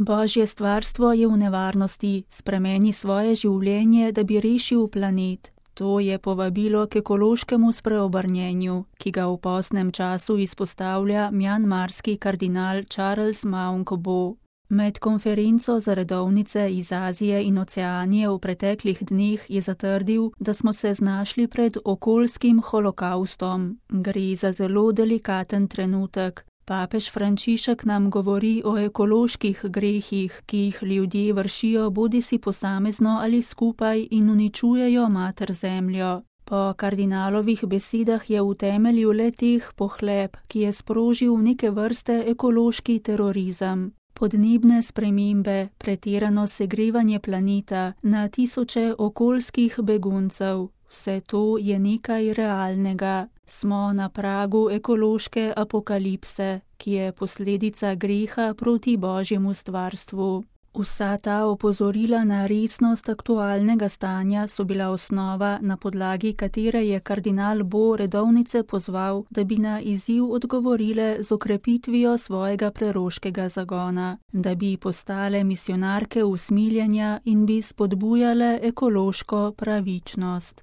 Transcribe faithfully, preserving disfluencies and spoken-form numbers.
Božje stvarstvo je v nevarnosti, spremeni svoje življenje, da bi rešil planet. To je povabilo k ekološkemu spreobrnjenju, ki ga v postnem času izpostavlja mjanmarski kardinal Charles Maungbo. Med konferenco za redovnice iz Azije in Oceanije v preteklih dneh je zatrdil, da smo se znašli pred okoljskim holokaustom. Gre za zelo delikaten trenutek. Papež Frančišek nam govori o ekoloških grehih, ki jih ljudje vršijo bodisi posamezno ali skupaj in uničujejo mater zemljo. Po kardinalovih besedah je v temelju le teh pohlep, ki je sprožil neke vrste ekološki terorizem. Podnebne spremembe, pretirano segrevanje planeta, na tisoče okoljskih beguncev, vse to je nekaj realnega. Smo na pragu ekološke apokalipse, ki je posledica greha proti Božjemu stvarstvu. Vsa ta opozorila na resnost aktualnega stanja so bila osnova, na podlagi katere je kardinal Bo redovnice pozval, da bi na izziv odgovorile z okrepitvijo svojega preroškega zagona, da bi postale misionarke usmiljenja in bi spodbujale ekološko pravičnost.